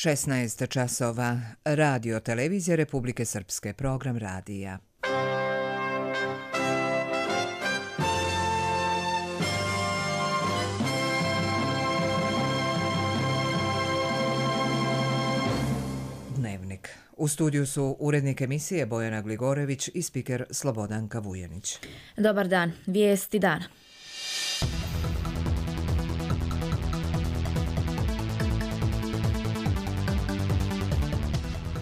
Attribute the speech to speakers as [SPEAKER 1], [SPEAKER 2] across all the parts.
[SPEAKER 1] 16 časova. Radio Televizija Republike Srpske. Program radija. Dnevnik. U studiju su urednik emisije Bojana Gligorević i spiker Slobodanka Vujanić.
[SPEAKER 2] Dobar dan. Vijesti dana.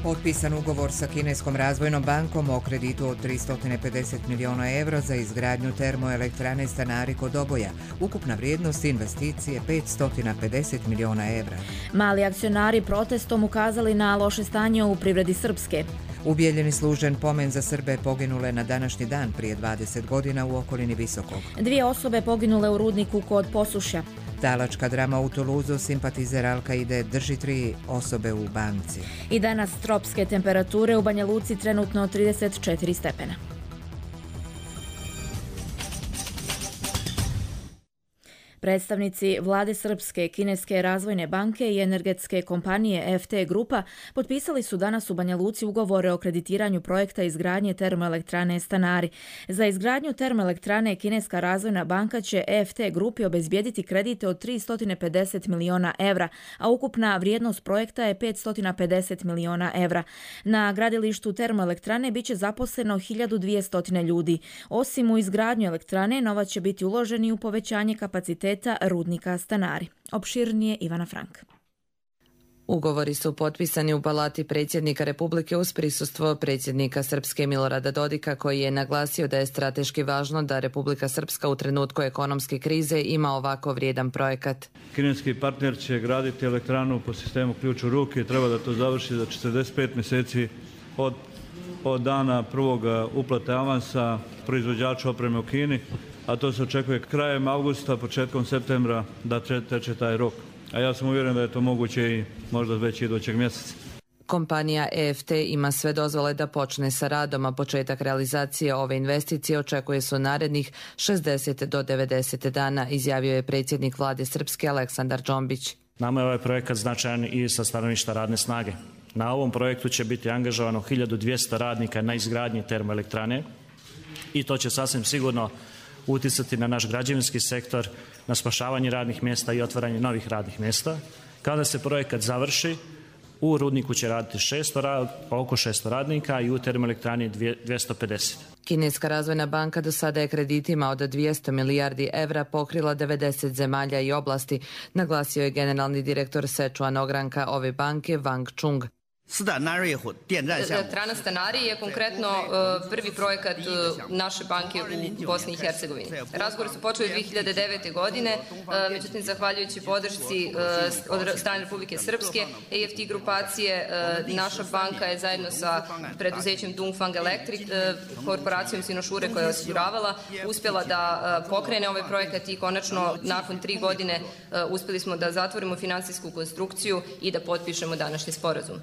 [SPEAKER 1] Potpisan ugovor sa Kineskom razvojnom bankom o kreditu od 350 miliona evra za izgradnju termoelektrane Stanari kod Doboja. Ukupna vrijednost investicije 550 miliona evra.
[SPEAKER 2] Mali akcionari protestom ukazali na loše stanje u privredi Srpske.
[SPEAKER 1] U Bijeljini služen pomen za Srbe poginule na današnji dan prije 20 godina u okolini Visokog.
[SPEAKER 2] 2 osobe poginule u rudniku kod Posušja.
[SPEAKER 1] Talačka drama u Tuluzu, simpatizer Al-Kaide drži 3 osobe u banci.
[SPEAKER 2] I danas tropske temperature u Banja Luci trenutno 34 stepena. Predstavnici vlade Srpske, Kineske razvojne banke i energetske kompanije FT Grupa potpisali su danas u Banja Luci ugovore o kreditiranju projekta izgradnje termoelektrane Stanari. Za izgradnju termoelektrane Kineska razvojna banka će FT Grupi obezbijediti kredite od 350 miliona evra, a ukupna vrijednost projekta je 550 miliona evra. Na gradilištu termoelektrane biće zaposleno 1200 ljudi. Osim u izgradnju elektrane, novac će biti uloženi u povećanje kapaciteta rudnika Stanari. Opširnije Ivana Frank.
[SPEAKER 3] Ugovori su potpisani u Palati predsjednika Republike uz prisustvo predsjednika Srpske Milorada Dodika, koji je naglasio da je strateški važno da Republika Srpska u trenutku ekonomske krize ima ovako vrijedan projekat.
[SPEAKER 4] Kineski partner će graditi elektranu po sistemu ključ u ruke i treba da to završi za 45 mjeseci od dana prvog uplate avansa proizvođaču opreme u Kini, a to se očekuje krajem avgusta, početkom septembra da teče taj rok. A ja sam uvjeren da je to moguće i možda već idućeg mjeseca.
[SPEAKER 3] Kompanija EFT ima sve dozvole da počne sa radom, a početak realizacije ove investicije očekuje se u narednih 60 do 90 dana, izjavio je predsjednik vlade Srpske Aleksandar Džombić.
[SPEAKER 5] Nama je ovaj projekat značajan i sa stanovišta radne snage. Na ovom projektu će biti angažovano 1200 radnika na izgradnji termoelektrane i to će sasvim sigurno uticati na naš građevinski sektor, na spašavanje radnih mjesta i otvaranje novih radnih mjesta. Kada se projekat završi, u rudniku će raditi oko 600 radnika i u termoelektrani 250.
[SPEAKER 3] Kineska razvojna banka do sada je kreditima od 200 milijardi evra pokrila 90 zemalja i oblasti, naglasio je generalni direktor Sečuan ogranka ove banke Wang Chung.
[SPEAKER 6] Elektrana Stanari je konkretno prvi projekat naše banke u Bosni i Hercegovini. Razgovori su počeli 2009. godine, međutim, zahvaljujući podršci od strane Republike Srpske, EFT grupacije, naša banka je zajedno sa preduzećem Dongfang Electric, korporacijom Sinošure koja je osiguravala, uspjela da pokrene ovaj projekat i konačno nakon 3 godine uspjeli smo da zatvorimo finansijsku konstrukciju i da potpišemo današnji sporazum.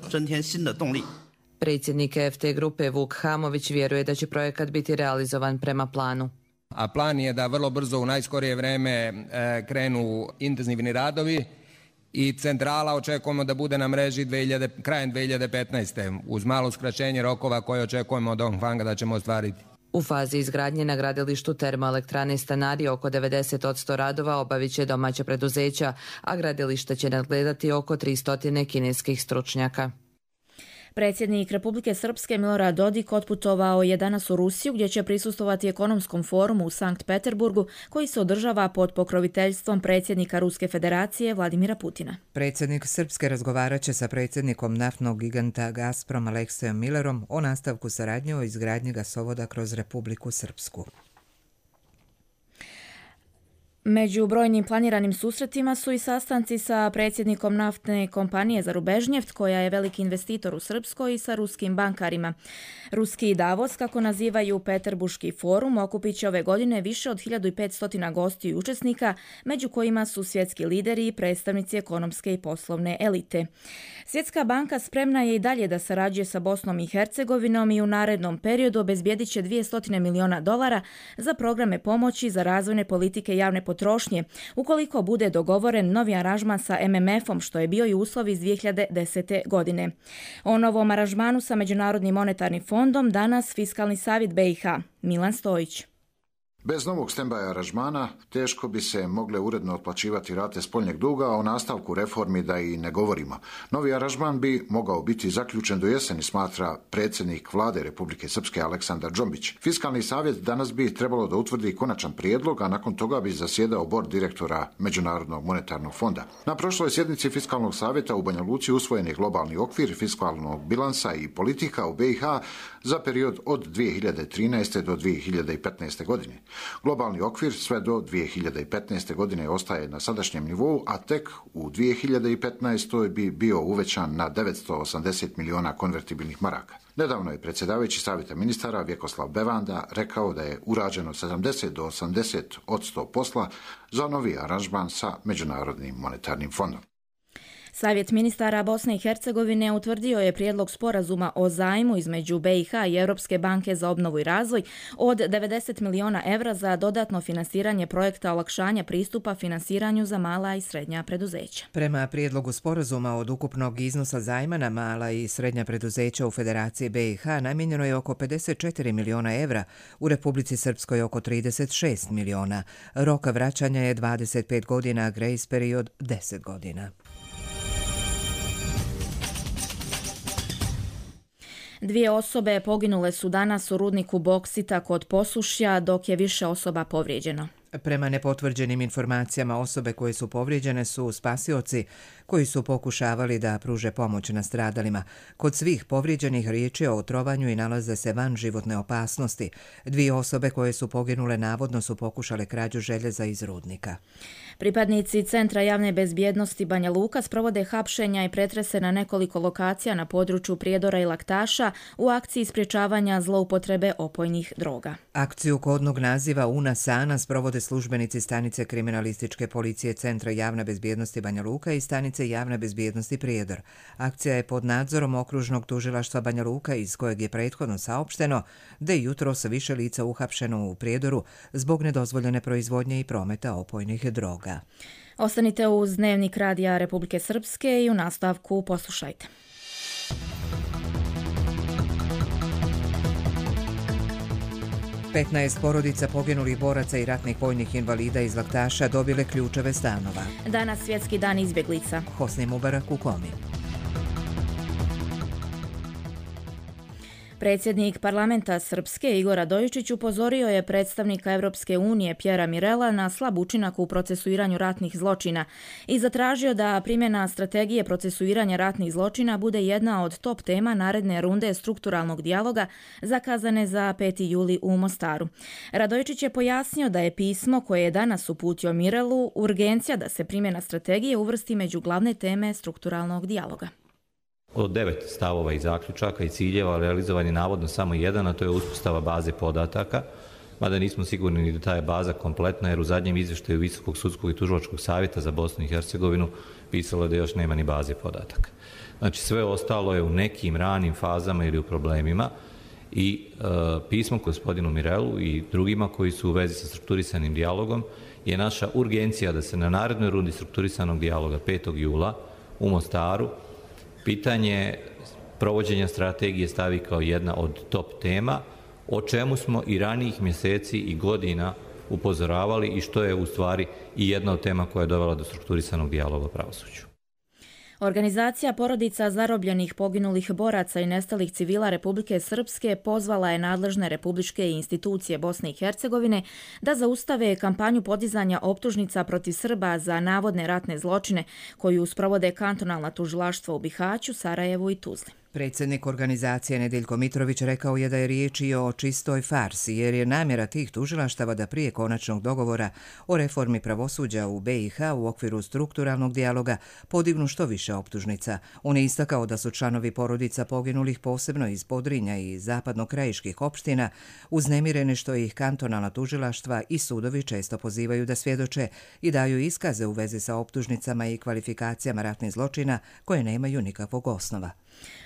[SPEAKER 3] Predsjednik FT grupe Vuk Hamović vjeruje da će projekat biti realizovan prema planu.
[SPEAKER 7] A plan je da vrlo brzo u najskorije vreme krenu intenzivni radovi i centrala očekujemo da bude na mreži krajem 2015. uz malo skraćenje rokova koje očekujemo od Dongfanga da ćemo ostvariti.
[SPEAKER 3] U fazi izgradnje na gradilištu termoelektrane Stanari oko 90% radova obavit će domaća preduzeća, a gradilište će nadgledati oko 300 kineskih stručnjaka.
[SPEAKER 2] Predsjednik Republike Srpske Milorad Dodik otputovao je danas u Rusiju gdje će prisustvovati ekonomskom forumu u Sankt Peterburgu koji se održava pod pokroviteljstvom predsjednika Ruske federacije Vladimira Putina.
[SPEAKER 1] Predsjednik Srpske razgovarat će sa predsjednikom naftnog giganta Gazprom Aleksejom Millerom o nastavku saradnje o izgradnji gasovoda kroz Republiku Srpsku.
[SPEAKER 2] Među brojnim planiranim susretima su i sastanci sa predsjednikom naftne kompanije Zarubežnjeft, koja je veliki investitor u Srpskoj, i sa ruskim bankarima. Ruski Davos, kako nazivaju Peterburški forum, okupit će ove godine više od 1500 gostiju i učesnika, među kojima su svjetski lideri i predstavnici ekonomske i poslovne elite. Svjetska banka spremna je i dalje da sarađuje sa Bosnom i Hercegovinom i u narednom periodu obezbijedit će $200 miliona za programe pomoći za razvojne politike javne potrošnje potrošnje, ukoliko bude dogovoren novi aranžman sa MMF-om, što je bio i uslov iz 2010. godine. O novom aranžmanu sa Međunarodnim monetarnim fondom danas Fiskalni savjet BiH. Milan Stojić.
[SPEAKER 8] Bez novog stand-by aranžmana teško bi se mogle uredno otplaćivati rate spoljnjeg duga, a o nastavku reformi da i ne govorimo. Novi aranžman bi mogao biti zaključen do jeseni, smatra predsjednik vlade Republike Srpske Aleksandar Džombić. Fiskalni savjet danas bi trebalo da utvrdi konačan prijedlog, a nakon toga bi zasjedao bord direktora Međunarodnog monetarnog fonda. Na prošloj sjednici Fiskalnog savjeta u Banja Luci usvojen je globalni okvir fiskalnog bilansa i politika u BiH za period od 2013. do 2015. godine. Globalni okvir sve do 2015. godine ostaje na sadašnjem nivou, a tek u 2015. bi bio uvećan na 980 miliona konvertibilnih maraka. Nedavno je predsjedavajući savjeta ministara Vjekoslav Bevanda rekao da je urađeno 70 do 80% posla za novi aranžman sa Međunarodnim monetarnim fondom.
[SPEAKER 2] Savjet ministara Bosne i Hercegovine utvrdio je prijedlog sporazuma o zajmu između BiH i Europske banke za obnovu i razvoj od 90 miliona evra za dodatno finansiranje projekta olakšanja pristupa finansiranju za mala i srednja preduzeća.
[SPEAKER 1] Prema prijedlogu sporazuma od ukupnog iznosa zajma na mala i srednja preduzeća u Federaciji BiH namijenjeno je oko 54 miliona evra, u Republici Srpskoj oko 36 miliona. Rok vraćanja je 25 godina, grace period 10 godina.
[SPEAKER 2] Dvije osobe poginule su danas u rudniku boksita kod Posušja, dok je više osoba povrijeđeno.
[SPEAKER 1] Prema nepotvrđenim informacijama, osobe koje su povrijeđene su spasioci koji su pokušavali da pruže pomoć nastradalima. Kod svih povrijeđenih riječ je o otrovanju i nalaze se van životne opasnosti. Dvije osobe koje su poginule navodno su pokušale krađu željeza iz rudnika.
[SPEAKER 2] Pripadnici Centra javne bezbjednosti Banja Luka sprovode hapšenja i pretrese na nekoliko lokacija na području Prijedora i Laktaša u akciji sprječavanja zloupotrebe opojnih droga.
[SPEAKER 1] Akciju kodnog naziva Una Sana sprovode službenici stanice kriminalističke policije Centra javne bezbjednosti Banja Luka i stanice javne bezbjednosti Prijedor. Akcija je pod nadzorom okružnog tužilaštva Banja Luka, iz kojeg je prethodno saopšteno da je jutros više lica uhapšeno u Prijedoru zbog nedozvoljene proizvodnje i prometa opojnih droga.
[SPEAKER 2] Ostanite uz Dnevnik radija Republike Srpske i u nastavku poslušajte.
[SPEAKER 1] Petnaest porodica poginulih boraca i ratnih vojnih invalida iz Laktaša dobile ključeve stanova.
[SPEAKER 2] Danas svjetski dan izbjeglica.
[SPEAKER 1] Hosni Mubarak u Komi.
[SPEAKER 2] Predsjednik parlamenta Srpske Igor Radojičić upozorio je predstavnika Europske unije Pjera Mirela na slab učinak u procesuiranju ratnih zločina i zatražio da primjena strategije procesuiranja ratnih zločina bude jedna od top tema naredne runde strukturalnog dijaloga zakazane za 5. juli u Mostaru. Radojičić je pojasnio da je pismo koje je danas uputio Mirelu urgencija da se primjena strategije uvrsti među glavne teme strukturalnog dijaloga.
[SPEAKER 9] Od 9 stavova i zaključaka i ciljeva realizovan je navodno samo jedan, a to je uspostava baze podataka, mada nismo sigurni ni da ta je baza kompletna, jer u zadnjem izvještaju Visokog sudskog i tužilačkog savjeta za Bosnu i Hercegovinu pisalo je da još nema ni baze podataka. Znači sve ostalo je u nekim ranim fazama ili u problemima i pismo gospodinu Mirelu i drugima koji su u vezi sa strukturisanim dijalogom je naša urgencija da se na narednoj rundi strukturisanog dijaloga 5. jula u Mostaru pitanje provođenja strategije stavi kao jedna od top tema, o čemu smo i ranijih mjeseci i godina upozoravali i što je u stvari i jedna od tema koja je dovela do strukturisanog dijaloga o pravosuđu.
[SPEAKER 2] Organizacija porodica zarobljenih, poginulih boraca i nestalih civila Republike Srpske pozvala je nadležne republičke institucije Bosne i Hercegovine da zaustave kampanju podizanja optužnica protiv Srba za navodne ratne zločine koju sprovode kantonalna tužilaštva u Bihaću, Sarajevu i Tuzli.
[SPEAKER 1] Predsjednik organizacije Nedeljko Mitrović rekao je da je riječ i o čistoj farsi, jer je namjera tih tužilaštava da prije konačnog dogovora o reformi pravosuđa u BiH u okviru strukturalnog dijaloga podignu što više optužnica. On je istakao da su članovi porodica poginulih posebno iz Podrinja i zapadnokrajiških opština uznemireni što ih kantonalna tužilaštva i sudovi često pozivaju da svjedoče i daju iskaze u vezi sa optužnicama i kvalifikacijama ratnih zločina koje nemaju nikakvog osnova.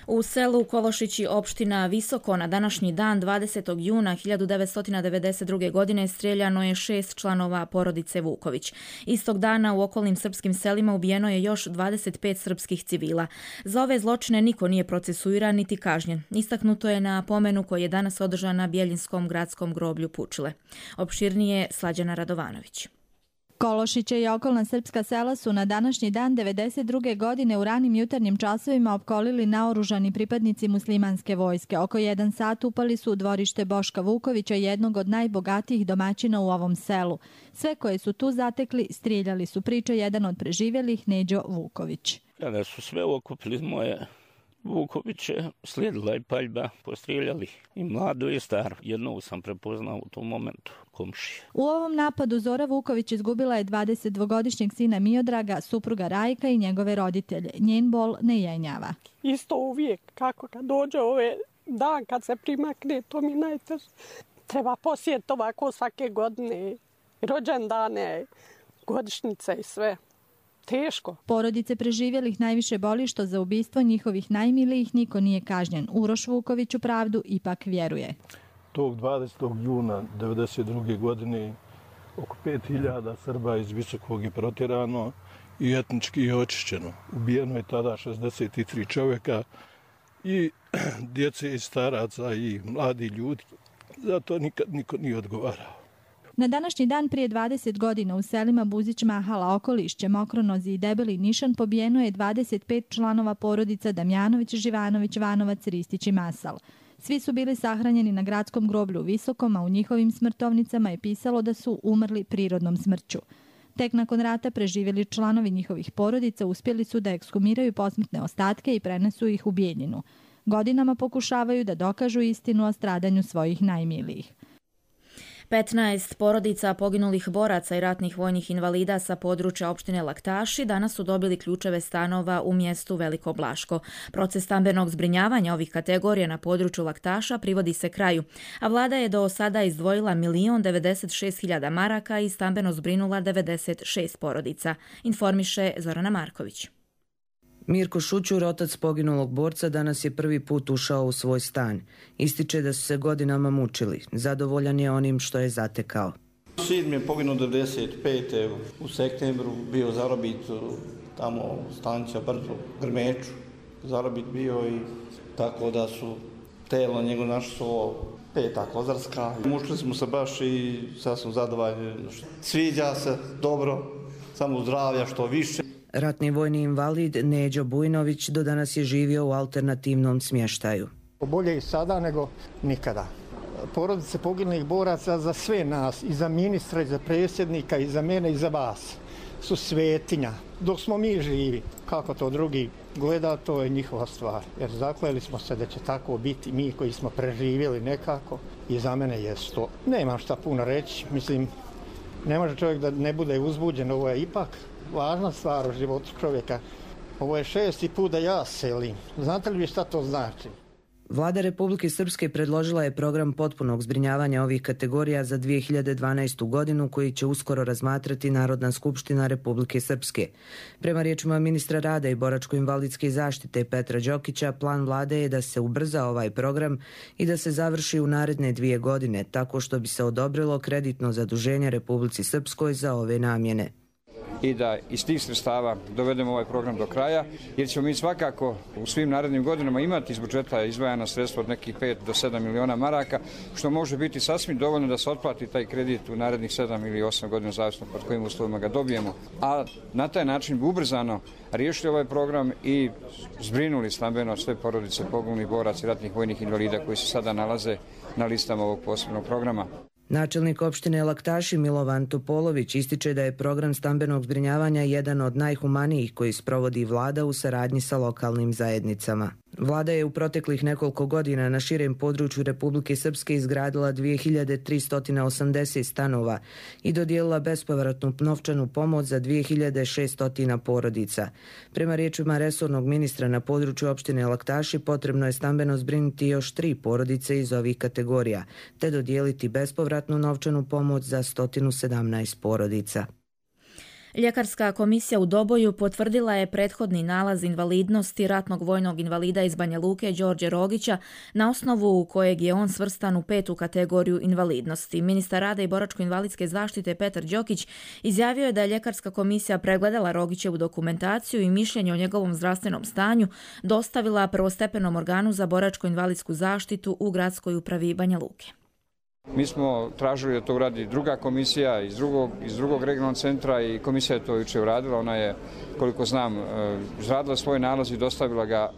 [SPEAKER 2] U selu Kološići, opština Visoko, na današnji dan 20. juna 1992. godine strijeljano je 6 članova porodice Vuković. Istog dana u okolnim srpskim selima ubijeno je još 25 srpskih civila. Za ove zločine niko nije procesuiran niti kažnjen. Istaknuto je na pomenu koji je danas održan na Bjeljinskom gradskom groblju Pučile. Opširnije Slađana Radovanović.
[SPEAKER 10] Kološiće i okolna srpska sela su na današnji dan 92. godine u ranim jutarnjim časovima opkolili naoružani pripadnici muslimanske vojske. Oko 1 sat upali su u dvorište Boška Vukovića, jednog od najbogatijih domaćina u ovom selu. Sve koje su tu zatekli strijeljali su, priča jedan od preživjelih, Neđo Vuković.
[SPEAKER 11] Kada su sve okupili moje Vukoviće, slijedila je paljba, postrijeljali i mlado i staro. Jednog sam prepoznao u tom momentu, komšije.
[SPEAKER 10] U ovom napadu Zora Vuković izgubila je 22-godišnjeg sina Miodraga, supruga Rajka i njegove roditelje. Njen bol ne jenjava.
[SPEAKER 12] Isto uvijek, kako kad dođe ovaj dan, kad se primakne, to mi najteže. Treba posjetiti ovako svake godine, rođendane, godišnjice i sve. Teško.
[SPEAKER 10] Porodice preživjelih najviše boli što za ubistvo njihovih najmilijih niko nije kažnjen. Uroš Vuković u pravdu ipak vjeruje.
[SPEAKER 13] Tog 20. juna 1992. godine oko 5000 Srba iz Visokog je protjerano i etnički je očišćeno. Ubijeno je tada 63 čovjeka i djece i staraca i mladi ljudi. Zato nikad niko nije odgovarao.
[SPEAKER 10] Na današnji dan prije 20 godina u selima Buzić, Mahala, Okolišće, Mokronozi i Debeli Nišan pobijeno je 25 članova porodica Damjanović, Živanović, Vanovac, Ristić i Masal. Svi su bili sahranjeni na gradskom groblju u Visokom, a u njihovim smrtovnicama je pisalo da su umrli prirodnom smrću. Tek nakon rata preživjeli članovi njihovih porodica uspjeli su da ekshumiraju posmrtne ostatke i prenesu ih u Bijeljinu. Godinama pokušavaju da dokažu istinu o stradanju svojih najmilijih.
[SPEAKER 2] 15 porodica poginulih boraca i ratnih vojnih invalida sa područja opštine Laktaši danas su dobili ključeve stanova u mjestu Veliko Blaško. Proces stambenog zbrinjavanja ovih kategorija na području Laktaša privodi se kraju, a vlada je do sada izdvojila 1.096.000 maraka i stambeno zbrinula 96 porodica, informiše Zorana Marković.
[SPEAKER 14] Mirko Šućur, otac poginulog borca, danas je prvi put ušao u svoj stan. Ističe da su se godinama mučili. Zadovoljan je onim što je zatekao.
[SPEAKER 15] Sin mi je poginuo 95. u septembru, bio zarobit tamo stanica Brdo, Grmeču. Zarobit bio i tako da su telo njegov našlo Peta Kozarska. Mučili smo se baš i sad sam zadovoljan. Sviđa se dobro, samo zdravlja što više.
[SPEAKER 14] Ratni vojni invalid Neđo Bujnović do danas je živio u alternativnom smještaju.
[SPEAKER 16] Bolje i sada nego nikada. Porodice poginulih boraca za sve nas, i za ministra, i za predsjednika, i za mene, i za vas, su svetinja. Dok smo mi živi, kako to drugi gleda, to je njihova stvar. Jer zakleli smo se da će tako biti mi koji smo preživjeli nekako i za mene je to. Nemam šta puno reći, mislim, ne može čovjek da ne bude uzbuđen, ovo je ipak važna stvar u životu čovjeka. Ovo je 6. put da ja selim. Znate li vi šta to znači?
[SPEAKER 14] Vlada Republike Srpske predložila je program potpunog zbrinjavanja ovih kategorija za 2012. godinu koji će uskoro razmatrati Narodna skupština Republike Srpske. Prema riječima ministra rada i boračko-invalidske zaštite Petra Đokića, plan vlade je da se ubrza ovaj program i da se završi u naredne 2 godine, tako što bi se odobrilo kreditno zaduženje Republici Srpskoj za ove namjene.
[SPEAKER 17] I da iz tih sredstava dovedemo ovaj program do kraja, jer ćemo mi svakako u svim narednim godinama imati iz budžeta izdvajana sredstva od nekih 5 do 7 miliona maraka, što može biti sasvim dovoljno da se otplati taj kredit u narednih 7 ili 8 godina, zavisno pod kojim uslovima ga dobijemo. A na taj način bi ubrzano riješili ovaj program i zbrinuli stambeno sve porodice poginulih boraca i ratnih vojnih invalida koji se sada nalaze na listama ovog posebnog programa.
[SPEAKER 14] Načelnik opštine Laktaši Milovan Topolović ističe da je program stambenog zbrinjavanja jedan od najhumanijih koji sprovodi vlada u saradnji sa lokalnim zajednicama. Vlada je u proteklih nekoliko godina na širem području Republike Srpske izgradila 2380 stanova i dodijelila bespovratnu novčanu pomoć za 2600 porodica. Prema riječima resornog ministra, na području opštine Laktaši potrebno je stambeno zbrinuti još 3 porodice iz ovih kategorija, te dodijeliti bespovratnu novčanu pomoć za 117 porodica.
[SPEAKER 2] Ljekarska komisija u Doboju potvrdila je prethodni nalaz invalidnosti ratnog vojnog invalida iz Banja Luke Đorđe Rogića, na osnovu kojeg je on svrstan u 5. kategoriju invalidnosti. Ministar rada i boračko-invalidske zaštite Petar Đokić izjavio je da je Ljekarska komisija pregledala Rogićevu dokumentaciju i mišljenje o njegovom zdravstvenom stanju dostavila prvostepenom organu za boračko-invalidsku zaštitu u gradskoj upravi Banja Luke.
[SPEAKER 17] Mi smo tražili da to uradi druga komisija iz drugog regionalnog centra i komisija je to jučer uradila. Ona je, koliko znam, izradila svoj nalaz i dostavila ga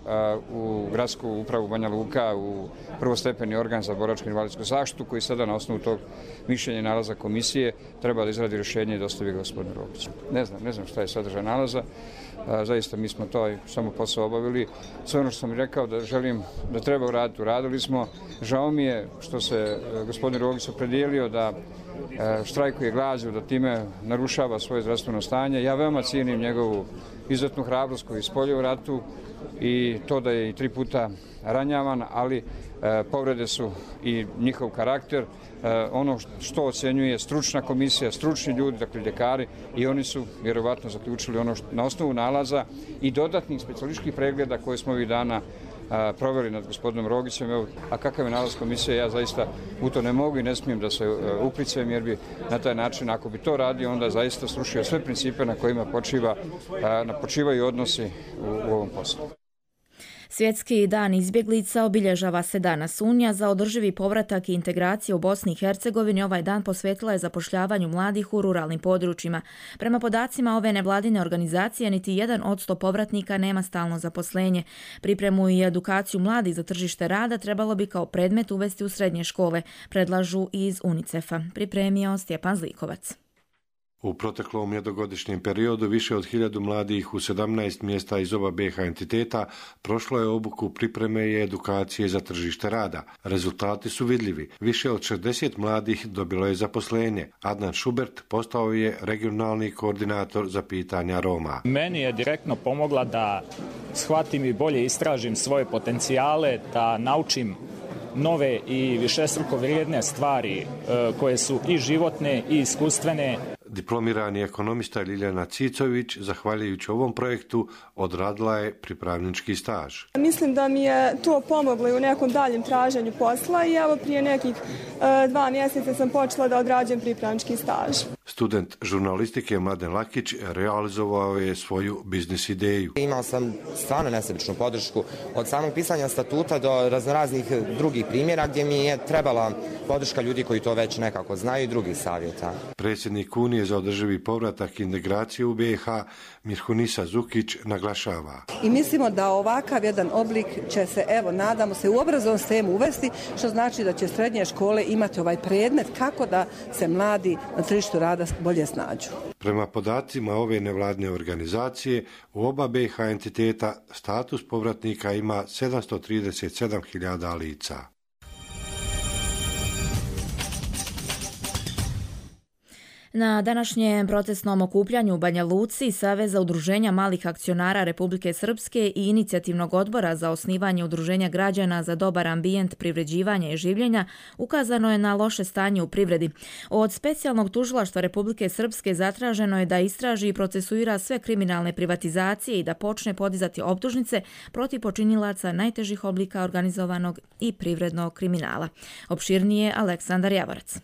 [SPEAKER 17] u gradsku upravu Banja Luka, u prvostepeni organ za boračko-invalidsku zaštitu, koji sada na osnovu tog mišljenja i nalaza komisije treba da izradi rješenje i dostavi ga gospodinu Rogiću. Ne znam šta je sadržaj nalaza. Zaista mi smo to samo posao obavili. Sve ono što sam rekao da želim da treba uraditi, uradili smo. Žao mi je što se gospodin Rogić opredijelio da štrajkuje glađu, da time narušava svoje zdravstveno stanje. Ja veoma cijenim njegovu izuzetnu hrabrost koju je ispoljio u ratu i to da je i 3 puta ranjavan, ali povrede su i njihov karakter. Ono što ocenjuje stručna komisija, stručni ljudi, dakle ljekari, i oni su vjerovatno zaključili ono na osnovu nalaza i dodatnih specijalističkih pregleda koje smo ovih dana proveli nad gospodinom Rogićem. A kakav je nalaz komisije, ja zaista u to ne mogu i ne smijem da se uplicujem, jer bi na taj način, ako bi to radio, onda zaista srušio sve principe na kojima počivaju odnosi u ovom poslu.
[SPEAKER 2] Svjetski dan izbjeglica obilježava se danas. Unija za održivi povratak i integraciju u Bosni i Hercegovini ovaj dan posvetila je zapošljavanju mladih u ruralnim područjima. Prema podacima ove nevladine organizacije, niti 1% povratnika nema stalno zaposlenje. Pripremu i edukaciju mladih za tržište rada trebalo bi kao predmet uvesti u srednje škole, predlažu iz UNICEF-a. Pripremio Stjepan Zlikovac.
[SPEAKER 18] U proteklom jednogodišnjem periodu više od 1000 mladih u 17 mjesta iz oba BiH entiteta prošlo je obuku pripreme i edukacije za tržište rada. Rezultati su vidljivi. Više od 60 mladih dobilo je zaposlenje. Adnan Šubert postao je regionalni koordinator za pitanja Roma.
[SPEAKER 19] Meni je direktno pomogla da shvatim i bolje istražim svoje potencijale, da naučim nove i višestruko vrijedne stvari koje su i životne i iskustvene.
[SPEAKER 18] Diplomirani ekonomista Ljiljana Cicović, zahvaljujući ovom projektu, odradila je pripravnički staž.
[SPEAKER 20] Mislim da mi je to pomoglo i u nekom daljem traženju posla i evo prije nekih 2 mjeseca sam počela da odrađujem pripravnički staž.
[SPEAKER 18] Student žurnalistike Mladen Lakić realizovao je svoju biznis ideju.
[SPEAKER 21] Imao sam stvarno nesebičnu podršku od samog pisanja statuta do raznoraznih drugih primjera gdje mi je trebala podrška ljudi koji to već nekako znaju i drugih savjeta.
[SPEAKER 18] Predsjednik Unije za održivi povratak i integraciju u BiH Mirhunisa Zukić naglašava.
[SPEAKER 22] I mislimo da ovakav jedan oblik će se, nadamo se, u obrazovnom sistemu uvesti, što znači da će srednje škole imati ovaj predmet kako da se mladi na tržištu rada bolje snađu.
[SPEAKER 18] Prema podacima ove nevladine organizacije, u oba BiH entiteta status povratnika ima 737.000 lica.
[SPEAKER 2] Na današnjem protestnom okupljanju u Banja Luci Saveza udruženja malih akcionara Republike Srpske i Inicijativnog odbora za osnivanje udruženja građana za dobar ambijent privređivanja i življenja ukazano je na loše stanje u privredi. Od specijalnog tužilaštva Republike Srpske zatraženo je da istraži i procesuira sve kriminalne privatizacije i da počne podizati optužnice protiv počinilaca najtežih oblika organizovanog i privrednog kriminala. Opširnije Aleksandar Javorac.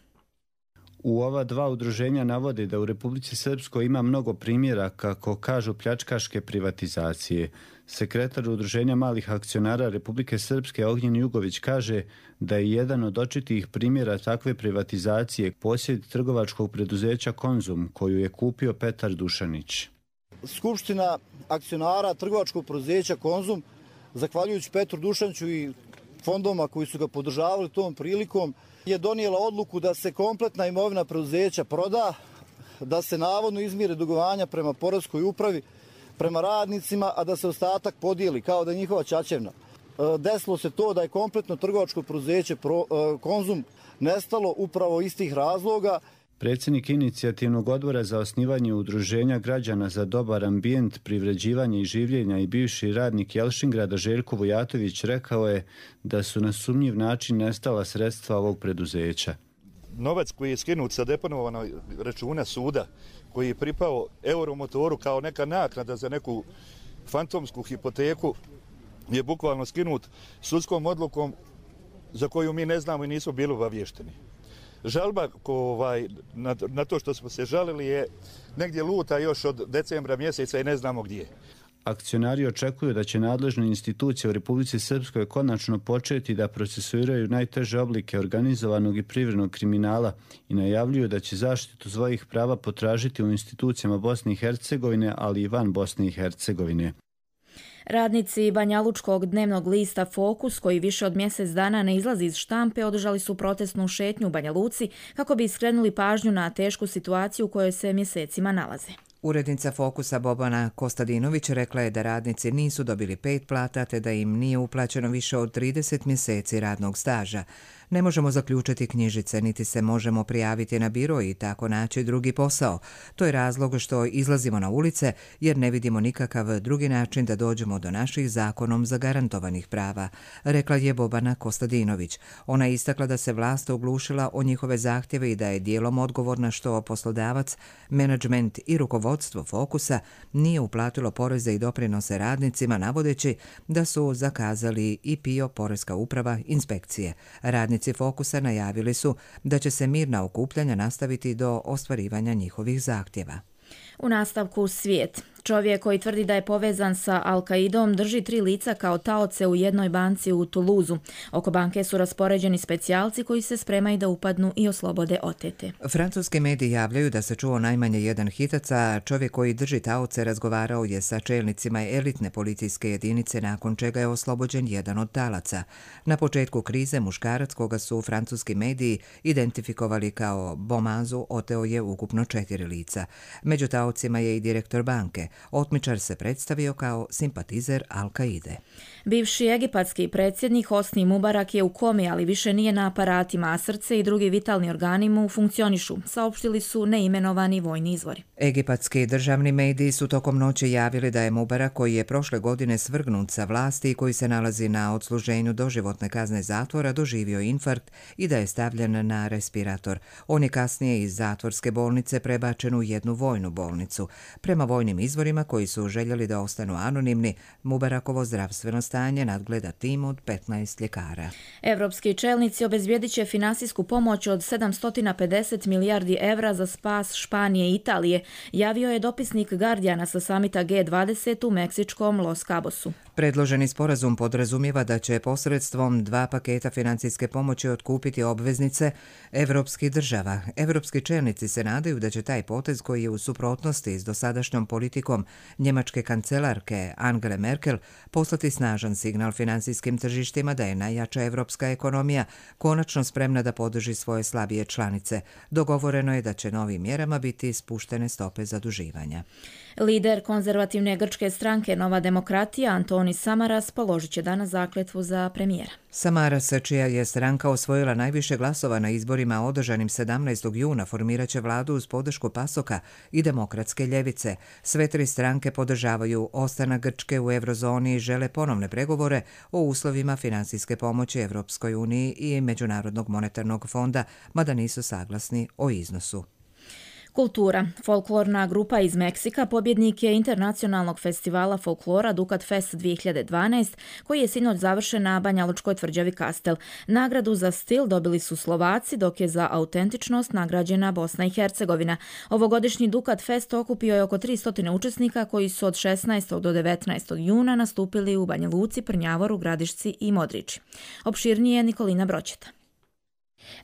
[SPEAKER 23] U ova dva udruženja navode da u Republici Srpskoj ima mnogo primjera, kako kažu, pljačkaške privatizacije. Sekretar udruženja malih akcionara Republike Srpske Ognjen Jugović kaže da je jedan od očitih primjera takve privatizacije posjed trgovačkog preduzeća Konzum, koju je kupio Petar Dušanić.
[SPEAKER 24] Skupština akcionara trgovačkog preduzeća Konzum, zahvaljujući Petru Dušaniću i fondovima koji su ga podržavali tom prilikom, je donijela odluku da se kompletna imovina preduzeća proda, da se navodno izmire dugovanja prema poreskoj upravi, prema radnicima, a da se ostatak podijeli kao da je njihova ćaćevna. Desilo se to da je kompletno trgovačko preduzeće Konzum nestalo upravo iz tih razloga.
[SPEAKER 23] Predsjednik Inicijativnog odbora za osnivanje udruženja građana za dobar ambijent, privređivanje i življenja i bivši radnik Jelšingrada Željko Vujatović rekao je da su na sumnjiv način nestala sredstva ovog preduzeća.
[SPEAKER 4] novac koji je skinut sa deponovanog računa suda, koji je pripao Euromotoru kao neka naknada za neku fantomsku hipoteku, je bukvalno skinut sudskom odlukom za koju mi ne znamo i nismo bili obavješteni. Žalba na to što smo se žalili je negdje luta još od decembra mjeseca i ne znamo gdje.
[SPEAKER 23] Akcionari očekuju da će nadležne institucije u Republici Srpskoj konačno početi da procesuiraju najteže oblike organizovanog i privrednog kriminala i najavljuju da će zaštitu svojih prava potražiti u institucijama Bosne i Hercegovine, ali i van Bosne i Hercegovine.
[SPEAKER 2] Radnici banjalučkog dnevnog lista Fokus, koji više od mjesec dana ne izlazi iz štampe, održali su protestnu šetnju u Banja Luci kako bi skrenuli pažnju na tešku situaciju u kojoj se mjesecima nalaze.
[SPEAKER 1] Urednica Fokusa Bobana Kostadinović rekla je da radnici nisu dobili 5 plata te da im nije uplaćeno više od 30 mjeseci radnog staža. Ne možemo zaključiti knjižice, niti se možemo prijaviti na biro i tako naći drugi posao. To je razlog što izlazimo na ulice jer ne vidimo nikakav drugi način da dođemo do naših zakonom zagarantovanih prava, rekla je Bobana Kostadinović. Ona je istakla da se vlast oglušila o njihove zahtjeve i da je dijelom odgovorna što poslodavac, menadžment i rukovodstvo Fokusa nije uplatilo poreze i doprinose radnicima, navodeći da su zakazali i PIO, Poreska uprava, inspekcije. Radnici Fokusa najavili su da će se mirna okupljanja nastaviti do ostvarivanja njihovih zahtjeva.
[SPEAKER 2] U nastavku svijet. Čovjek koji tvrdi da je povezan sa Al-Qaidom drži 3 lica kao taoce u jednoj banci u Tuluzu. Oko banke su raspoređeni specijalci koji se spremaju da upadnu i oslobode otete.
[SPEAKER 1] Francuski mediji javljaju da se čuo najmanje jedan hitac, a čovjek koji drži taoce razgovarao je sa čelnicima elitne policijske jedinice, nakon čega je oslobođen jedan od talaca. Na početku krize muškarac koga su francuski mediji identifikovali kao Bomazu oteo je ukupno 4 lica. Među taocima je i direktor banke. Otmičar se predstavio kao simpatizer Al-Qaide.
[SPEAKER 2] Bivši egipatski predsjednik Hosni Mubarak je u komi, ali više nije na aparatima, a srce i drugi vitalni organi mu funkcionišu, saopštili su neimenovani vojni izvori.
[SPEAKER 1] Egipatski državni mediji su tokom noći javili da je Mubarak, koji je prošle godine svrgnut sa vlasti i koji se nalazi na odsluženju doživotne kazne zatvora, doživio infarkt i da je stavljen na respirator. On je kasnije iz zatvorske bolnice prebačen u jednu vojnu bolnicu. Prema vojnim izvorima koji su željeli da ostanu anonimni, Mubarakovo zdravstveno stanje nadgleda tim od 15 ljekara.
[SPEAKER 2] Evropski čelnici obezbijedit će finansijsku pomoć od 750 milijardi evra za spas Španije i Italije, javio je dopisnik Guardiana sa samita G20 u meksičkom Los Cabosu.
[SPEAKER 1] Predloženi sporazum podrazumijeva da će posredstvom 2 paketa financijske pomoći otkupiti obveznice evropskih država. Evropski čelnici se nadaju da će taj potez, koji je u suprotnosti s dosadašnjom politikom njemačke kancelarke Angele Merkel, poslati snažan signal financijskim tržištima da je najjača evropska ekonomija konačno spremna da podrži svoje slabije članice. Dogovoreno je da će novim mjerama biti spuštene stope zaduživanja.
[SPEAKER 2] Lider konzervativne grčke stranke Nova demokratija Antonis Samaras položit će danas zakletvu za premijera.
[SPEAKER 1] Samaras, čija je stranka osvojila najviše glasova na izborima održanim 17. juna, formirat će vladu uz podršku PASOK-a i Demokratske ljevice. Sve 3 stranke podržavaju ostanak Grčke u eurozoni i žele ponovne pregovore o uslovima finansijske pomoći Evropskoj uniji i Međunarodnog monetarnog fonda, mada nisu saglasni o iznosu.
[SPEAKER 2] Kultura. Folklorna grupa iz Meksika pobjednik je internacionalnog festivala folklora Dukat Fest 2012, koji je sinoć završen na banjalučkoj tvrđavi Kastel. Nagradu za stil dobili su Slovaci, dok je za autentičnost nagrađena Bosna i Hercegovina. Ovogodišnji Dukat Fest okupio je oko 300 učesnika koji su od 16. do 19. juna nastupili u Banja Luci, Prnjavoru, Gradišci i Modriči. Opširnije Nikolina Broćeta.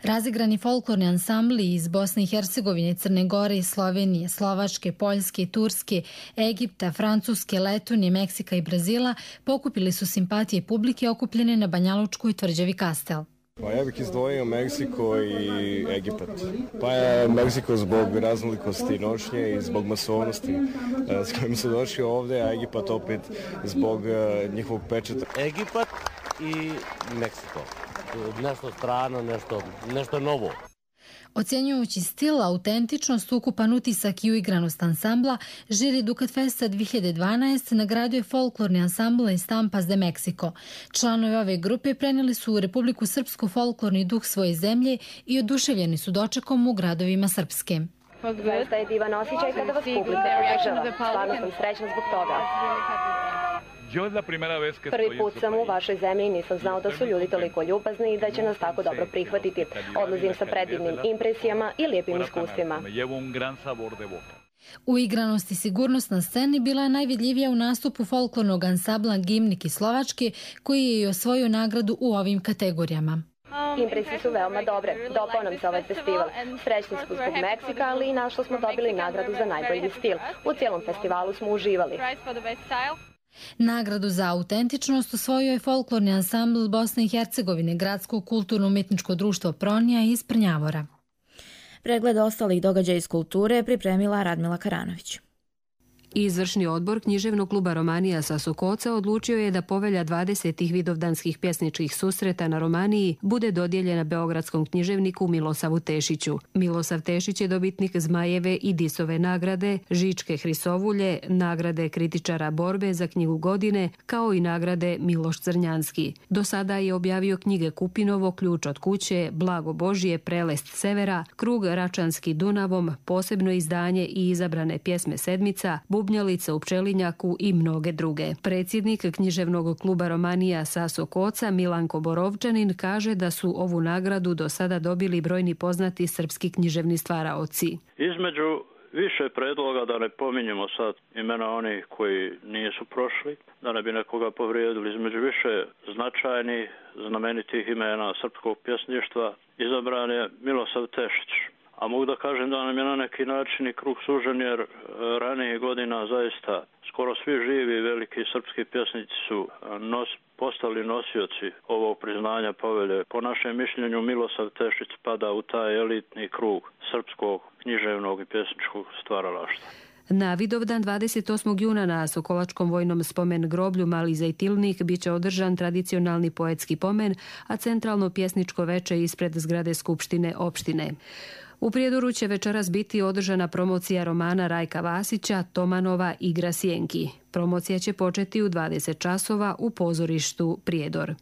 [SPEAKER 5] Razigrani folklorni ansambli iz Bosne i Hercegovine, Crne Gore, Slovenije, Slovačke, Poljske, Turske, Egipta, Francuske, Letonije, Meksika i Brazila pokupili su simpatije publike okupljene na banjalučkoj tvrđavi Kastel.
[SPEAKER 6] Pa ja bih izdvojio Meksiko i Egipat. Pa je Meksiko zbog raznolikosti nošnje i zbog masovnosti s kojim su došli ovdje, a Egipat opet zbog njihovog pečeta.
[SPEAKER 7] Egipat i Meksiko. Nešto strano, nešto novo.
[SPEAKER 5] Ocjenjujući stil, autentičnost, ukupan utisak i uigranost ansambla, žiri Ducat Festa 2012 nagradio je folklorni ansambl Estampas de Mexico. Članovi ove grupe prenijeli su u Republiku Srpsku folklorni duh svoje zemlje i oduševljeni su dočekom u gradovima Srpske.
[SPEAKER 3] Zaista je divan osjećaj kada vas publika podržava. Stvarno sam srećna zbog toga. Prvi put sam u vašoj zemlji i nisam znao da su ljudi toliko ljubazni i da će nas tako dobro prihvatiti. Odlazim sa predivnim impresijama i lijepim iskustvima.
[SPEAKER 5] Uigranost i sigurnost na sceni bila je najvidljivija u nastupu folklornog ansambla Gimnik iz Slovačke, koji je i osvojio nagradu u ovim kategorijama.
[SPEAKER 3] Impresije su veoma dobre. Dopao nam se ovaj festival. Srećni smo zbog Meksika, ali i našlo smo dobili nagradu za najbolji stil. U cijelom festivalu smo uživali.
[SPEAKER 5] Nagradu za autentičnost osvojio je folklorni ansambl Bosne i Hercegovine, Gradsko kulturno-umjetničko društvo Pronija iz Prnjavora.
[SPEAKER 2] Pregled ostalih događaja iz kulture pripremila Radmila Karanović.
[SPEAKER 7] Izvršni odbor književnog kluba Romanija sa Sokoca odlučio je da povelja 20. vidovdanskih pjesničkih susreta na Romaniji bude dodijeljena beogradskom književniku Milosavu Tešiću. Milosav Tešić je dobitnik Zmajeve i Disove nagrade, Žičke Hrisovulje, nagrade kritičara borbe za knjigu godine, kao i nagrade Miloš Crnjanski. Do sada je objavio knjige Kupinovo, Ključ od kuće, Blago Božje, Prelest severa, Krug Račanski Dunavom, posebno izdanje i izabrane pjesme sedmica, Bubnjalica u Pčelinjaku i mnoge druge. Predsjednik književnog kluba Romanija sa Sokoca Milanko Borovčanin kaže da su ovu nagradu do sada dobili brojni poznati srpski književni stvaraoci.
[SPEAKER 8] Između više predloga, da ne pominjemo sad imena onih koji nisu prošli, da ne bi nekoga povrijedili, između više značajnih, znamenitih imena srpskog pjesništva izabran je Milosav Tešić. A mogu da kažem da nam je na neki način i krug sužen, jer ranije godina zaista skoro svi živi veliki srpski pjesnici su postali nosioci ovog priznanja povelje. Po našem mišljenju Milosav Tešić spada u taj elitni krug srpskog književnog i pjesničkog stvaralaštva.
[SPEAKER 7] Na Vidovdan 28. juna na Sokolačkom vojnom spomen groblju Mali Zajtilnik bit će održan tradicionalni poetski pomen, a centralno pjesničko veče ispred zgrade Skupštine opštine. U Prijedoru će večeras biti održana promocija romana Rajka Vasića, Tomanova Igra sjenki. Promocija će početi u 20 časova u pozorištu Prijedor.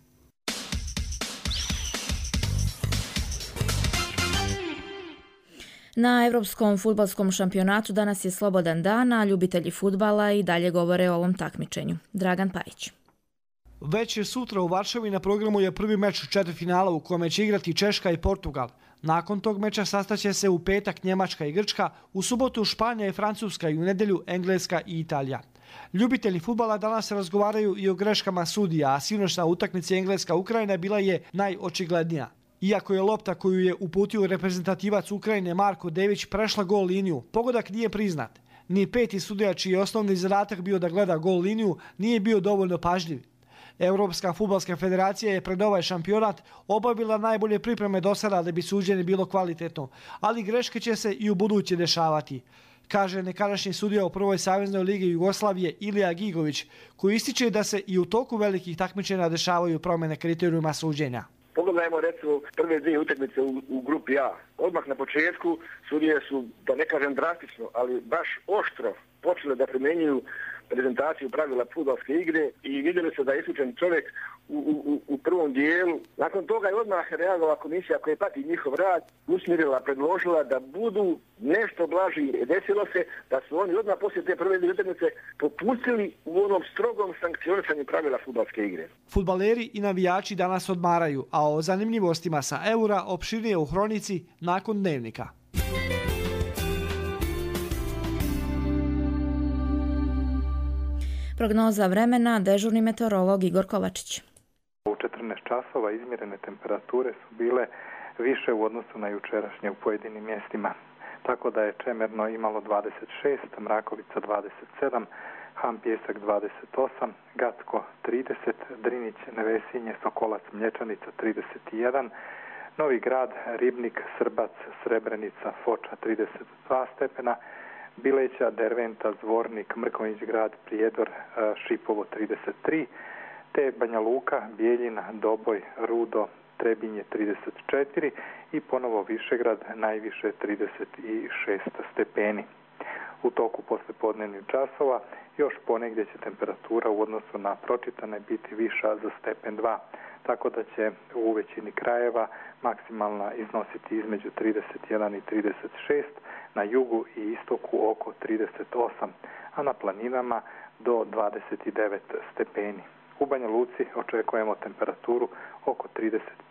[SPEAKER 2] Na Evropskom fudbalskom šampionatu danas je slobodan dan, a ljubitelji fudbala i dalje govore o ovom takmičenju. Dragan Pajić.
[SPEAKER 9] Već je sutra u Varšavi na programu je prvi meč četvrtfinala u kome će igrati Češka i Portugal. Nakon tog meča sastaće se u petak Njemačka i Grčka, u subotu Španija i Francuska i u nedjelju Engleska i Italija. Ljubitelji fudbala danas razgovaraju i o greškama sudija, a sinoćna utakmica Engleska-Ukrajina bila je najočiglednija. Iako je lopta koju je uputio reprezentativac Ukrajine Marko Dević prešla gol liniju, pogodak nije priznat. Ni peti sudija čiji je osnovni zadatak bio da gleda gol liniju nije bio dovoljno pažljiv. Europska fudbalska federacija je pred ovaj šampionat obavila najbolje pripreme do sada da bi suđenje bilo kvalitetno, ali greške će se i u buduće dešavati, kaže nekadašnji sudija u prvoj saveznoj ligi Jugoslavije Ilija Gigović, koji ističe da se i u toku velikih takmičenja dešavaju promjene kriterijuma suđenja.
[SPEAKER 25] Pogledajmo recimo prve dvije utakmice u grupi A. Odmah na početku sudije su, da ne kažem drastično, ali baš oštro počele da primjenjuju prezentaciju pravila fudbalske igre i vidjeli se da je isključen čovjek u prvom dijelu. Nakon toga je odmah reagovala komisija koja prati njihov rad, usmjerila, predložila da budu nešto blaži. Desilo se da su oni odmah poslije te prve utakmice popustili u onom strogom sankcionisanju pravila fudbalske igre.
[SPEAKER 9] Fudbaleri i navijači danas odmaraju, a o zanimljivostima sa Eura opširnije u Hronici nakon Dnevnika.
[SPEAKER 2] Prognoza vremena, dežurni meteorolog Igor Kovačić.
[SPEAKER 26] U 14 časova izmjerene temperature su bile više u odnosu na jučerašnje u pojedinim mjestima. Tako da je Čemerno imalo 26, Mrakovica 27, Han Pjesak 28, Gacko 30, Drinić, Nevesinje, Sokolac, Mlječanica 31, Novi Grad, Ribnik, Srbac, Srebrenica, Foča 32 stepena, Bileća, Derventa, Zvornik, Mrkonjić grad, Prijedor, Šipovo 33, te Banja Luka, Bijeljina, Doboj, Rudo, Trebinje 34 i ponovo Višegrad najviše 36 stepeni. U toku poslijepodnevnih časova još ponegdje će temperatura u odnosu na pročitane biti viša za stepen 2, tako da će u većini krajeva maksimalna iznositi između 31 i 36, na jugu i istoku oko 38, a na planinama do 29 stepeni. U Banja Luci očekujemo temperaturu oko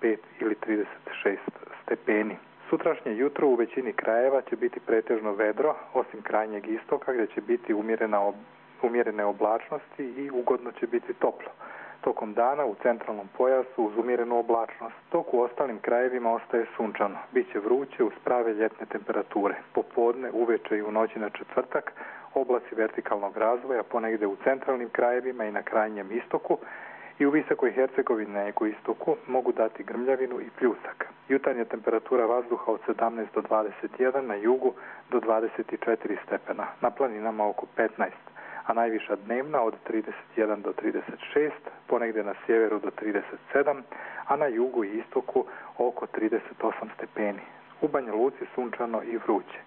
[SPEAKER 26] 35 ili 36 stepeni. Sutrašnje jutro u većini krajeva će biti pretežno vedro, osim krajnjeg istoka gdje će biti umjerene oblačnosti i ugodno će biti toplo. Tokom dana u centralnom pojasu uz umjerenu oblačnost, dok u ostalim krajevima ostaje sunčano. Biće vruće uz prave ljetne temperature. Popodne, uveče i u noći na četvrtak oblaci vertikalnog razvoja ponegdje u centralnim krajevima i na krajnjem istoku i u Visokoj Hercegovini na jugoistoku mogu dati grmljavinu i pljusak. Jutarnja temperatura vazduha od 17 do 21, na jugu do 24 stepena, na planinama oko 15, a najviša dnevna od 31 do 36, ponegdje na sjeveru do 37, a na jugu i istoku oko 38 stepeni. U Banja Luci sunčano i vruće.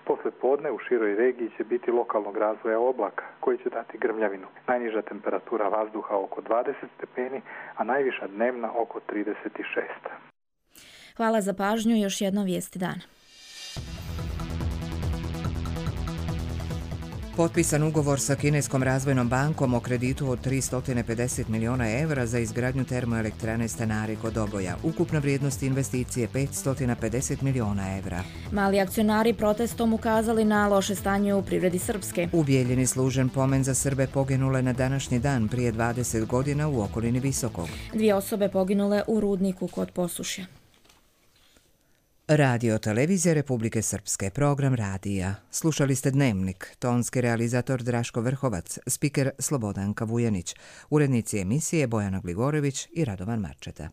[SPEAKER 26] Posle podne u široj regiji će biti lokalnog razvoja oblaka koji će dati grmljavinu. Najniža temperatura vazduha oko 20 stepeni, a najviša dnevna oko 36.
[SPEAKER 2] Hvala za pažnju i još jedno vijesti dana.
[SPEAKER 1] Potpisan ugovor sa Kineskom razvojnom bankom o kreditu od 350 miliona evra za izgradnju termoelektrane Stanari kod Doboja. Ukupna vrijednost investicije 550 miliona evra.
[SPEAKER 2] Mali akcionari protestom ukazali na loše stanje u privredi Srpske.
[SPEAKER 1] U Bijeljini služen pomen za Srbe poginule na današnji dan prije 20 godina u okolini Visokog.
[SPEAKER 2] 2 osobe poginule u rudniku kod Posušja.
[SPEAKER 1] Radio Televizija Republike Srpske, program radija. Slušali ste Dnevnik, tonski realizator Draško Vrhovac, spiker Slobodanka Vujanić, urednici emisije Bojana Gligorević i Radovan Marčeta.